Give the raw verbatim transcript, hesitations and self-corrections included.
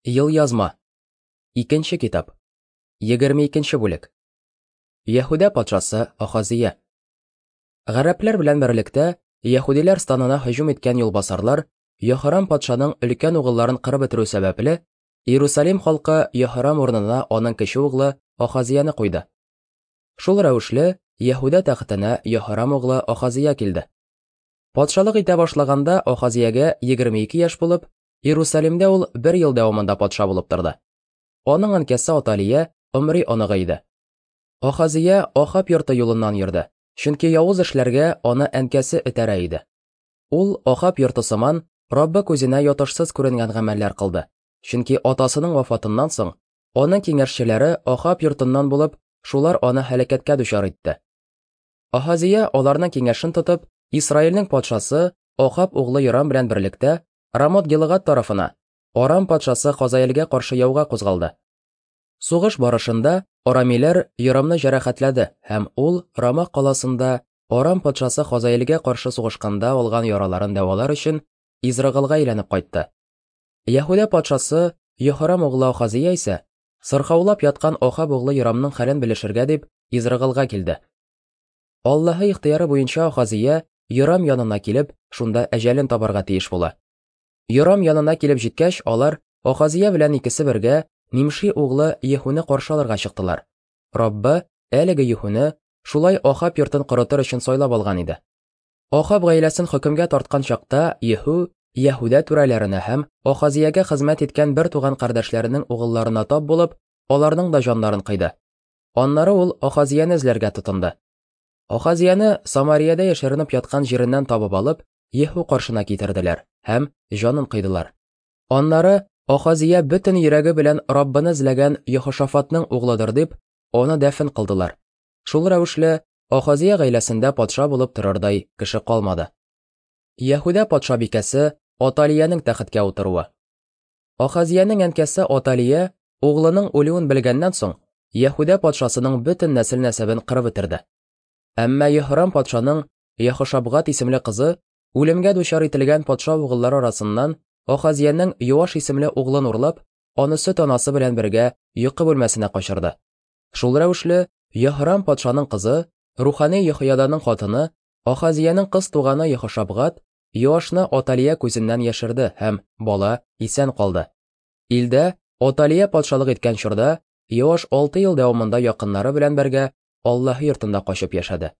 Елъязма. Икенче китап. Егерме икенче бүлек. Яһүдә патшасы Ахазия. Гарәпләр белән берлектә яһүдиләр станына һөҗүм иткән юлбасарлар Йоһарам патшаның өлкән угылларын кырып бетерү сәбәпле, Иерусалим халкы Йоһарам урынына аның кече углы Ахазияне куйды. Шул рәвешле Яһүдә тәхетенә Йоһарам углы Ахазия килде. Патшалык итә башлаганда Ахазиягә егерме ике яшь булып, Иерусалимдә ул бер ел дәвамында патша булып торды. Аның әнкәсе Аталия Омри оныгы иде. Ахазия Ахаб йорты юлыннан йөрде, чөнки явыз эшләргә аны әнкәсе этәрә иде. Ул Ахаб йорты сыман Раббы күзенә ятышсыз күренгән гамәлләр кылды. Чөнки атасының вафатыннан соң аның киңәшчеләре Ахаб йортыннан булып, шулар аны һәлакәткә дучар итте. Ахазия аларның киңәшен тотып, Исраилнең патшасы Ахаб углы Йорам белән берлектә Рамот Гилгад тарафына, Арам патшасы Хазаэлгә каршы яуга кузгалды. Сугыш барышында арамиләр Йорамны җәрәхәтләде һәм ул Рама каласында Арам патшасы Хазаэлгә каршы сугышканда алган яраларын дәвалар өчен Израилгә әйләнеп кайтты. Яһүдә патшасы Йоһарам углы Ахазия исә сырхаулап яткан Ахаб углы Йорамның хәлен белешергә дип Израилгә килде. Аллаһы ихтыяры буенча Ахазия Йорам янына килеп, шунда әҗәлен табарга тиеш була. Йорам янына килеп җиткәч, алар Ахазия белән икесе бергә Нимши углы Ехуны каршы алырга чыктылар. Раббы әлеге Ехуны шулай Ахаб йортын корытыр өчен сайлап алган иде. Ахаб гаиләсен хөкемгә тарткан чакта Еху Яһүдә түрәләренә һәм Ахазиягә хезмәт иткән бер туган кардәшләренең угылларына тап булып, аларның да җаннарын кыйды. Аннары ул Ахазияне эзләргә тотынды. Ахазияне Самариядә яшеренеп яткан җиреннән табып алып, Еху каршына китерделәр һәм җанын кыйдылар. Аннары Ахазия бөтен йөрәге белән Раббыны эзләгән Йохошафатның углыдыр дип, аны дәфен кылдылар. Шул рәвешле Ахазия гаиләсендә патша булып торырдай кеше калмады. Яһүдә патшабикәсе Аталиянең тәхеткә утыруы. Ахазиянең әнкәсе Аталия углының үлүен белгәннән соң Яһүдә патшасының бөтен нәсел-нәсәбен кырып бетерде. Әмма Йоһарам патшаның Йохошабгат исемле кызы үлемгә дучар ителгән патша угыллары арасыннан Ахазиянең Йоаш исемле углын урлап, аны сөт анасы белән бергә йокы бүлмәсенә качырды. Шул рәвешле Йоһарам патшаның кызы, рухани Йохояданың хатыны, Ахазиянең кыз туганы Йохошабгат Йоашны Аталия күзеннән яшерде һәм бала исән калды. Илдә Аталия патшалык иткән чорда Йоаш алты ел дәвамында якыннары белән бергә Аллаһ йортында качып яшәде.